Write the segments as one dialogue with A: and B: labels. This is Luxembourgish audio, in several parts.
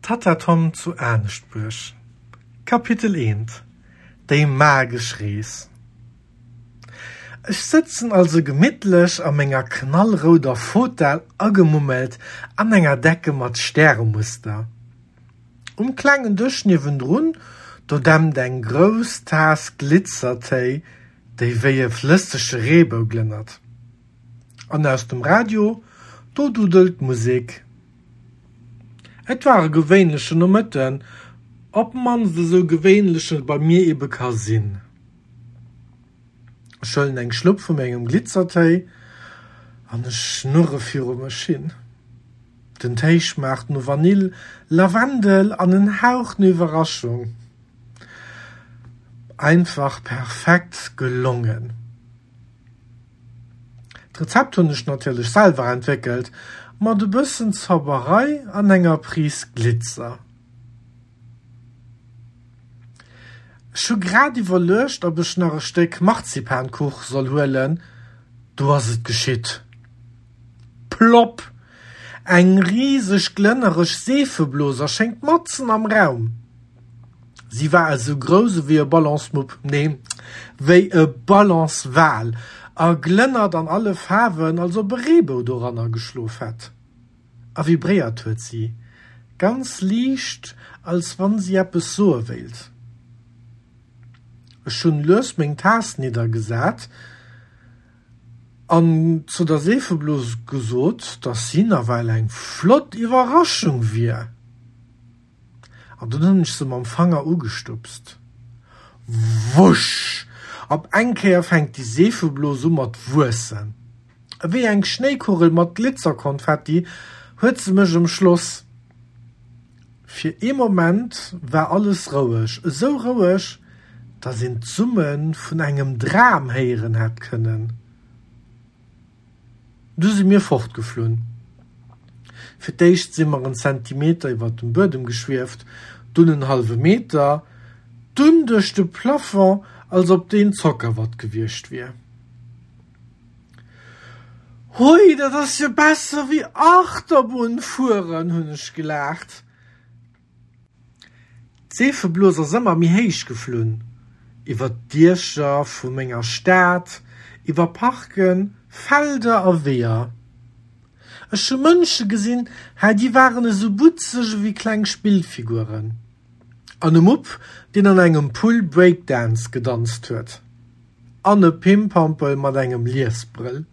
A: Tatta Tom zu Aneschtbuerg Kapitel 1 Déi magesch Rees Ech sëtzen also gemittlech a menger knallrouder Fotell agemummelt an enger Decke mat Stäremuster. Um klengen Dësch niewendrun, do dämpt eng grouss Taass Glitzertéi, déi wéi e flëssege Reebou glënnert. An aus dem Radio, do duddelt d'Musek. Et war e gewéinlechen Nomëtten, op d'mannst esou gewéinlech et bei mir ebe ka sinn. Ech huelen eng Schlupp vu mengem Glitzertéi an ech schnurre viru mech hin. Den Téi schmaacht no Vanill, Lavendel an en Hauch no Iwwerraschung. Einfach perfekt gelongen. D'Rezept hunn ech natierlech selwer entwéckelt, mat e bëssen Zauberei an enger Prise Glitzer. Ech hu grad iwwerluecht, ob ech nach e Stéck Marzipankuch soll huelen, du ass et geschitt. Plopp! Eng riseg glënnereg Seefeblos erschéngt matzen am Raum. Si war esou grouss ewéi e Ballonsmupp, nee, wéi e Ballonswal, a glënnert an alle Faarwen, als ob e Reebou doranner geschlof hätt. A vibréiert huet si, ganz liicht, als wann si eppes soe wéilt. Ech hunn lues meng Taass niddergesat. An zu der Seefeblos gesot, dass si nawell eng flott Iwwerraschung wier. An dunn hunn ech se mam Fanger ugestupst. Wusch! Op eng Kéier fänkt déi Seefeblos u mat wuessen. Ewéi eng Schnéikugel mat Glitzerkonfetti huet se mech ëmschloss. Fir ee Moment war alles roueg, esou roueg, datt een d'Summe vun engem Dram héieren hätt kënnen. Du si mir fortgeflunn. Fir d'éischt si mer en Zentimeter iwwer dem Buedem geschwieft, dunn en hallwe Meter, dunn duerch de Plafond, als ob deen Zockerwatt gewiescht wier. Hui, dat ass jo besser wéi Achterbunn fueren, hunn ech gelaacht. D'Seefeblos ass ëmmer méi héich geflunn, iwwer d'Diecher vu menger Stad, iwwer Parken, Felder a Weeër. Ech hu Mënsche gesinn, hei, déi waren esou butzeg ewéi kleng Spillfiguren. An e Mupp, deen an engem Pull Breakdance gedanzt huet. An e Pimpampel mat engem Liesbrëll.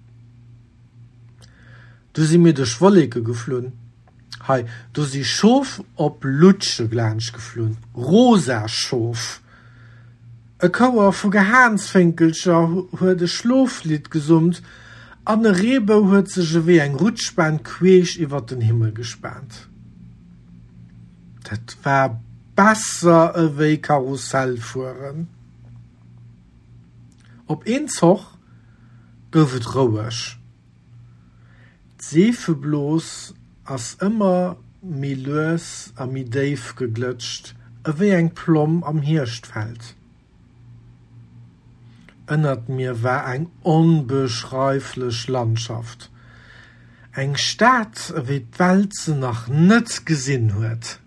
A: Du si mir duerch Wolleke geflunn. Hei, do si Schof op Lutsche laanscht geflunn, rosa Schof. E Chouer vu Gehaansfénkelcher huet e Schloflidd gesummt an e Reebou huet sech ewéi eng Rutschbahn queesch iwwer den Himmel gespaant. Dat war besser ewéi Karussell fueren. Op een Zoch gouf et roueg. D'Seefeblos ass ëmmer méi lues a méi déif geglëtscht, ewéi eng Plomm am Hierschtfeld. Ënnert mir war eng onbeschreiflech Landschaft, eng Stad, ewéi d'Welt se nach net gesinn huet.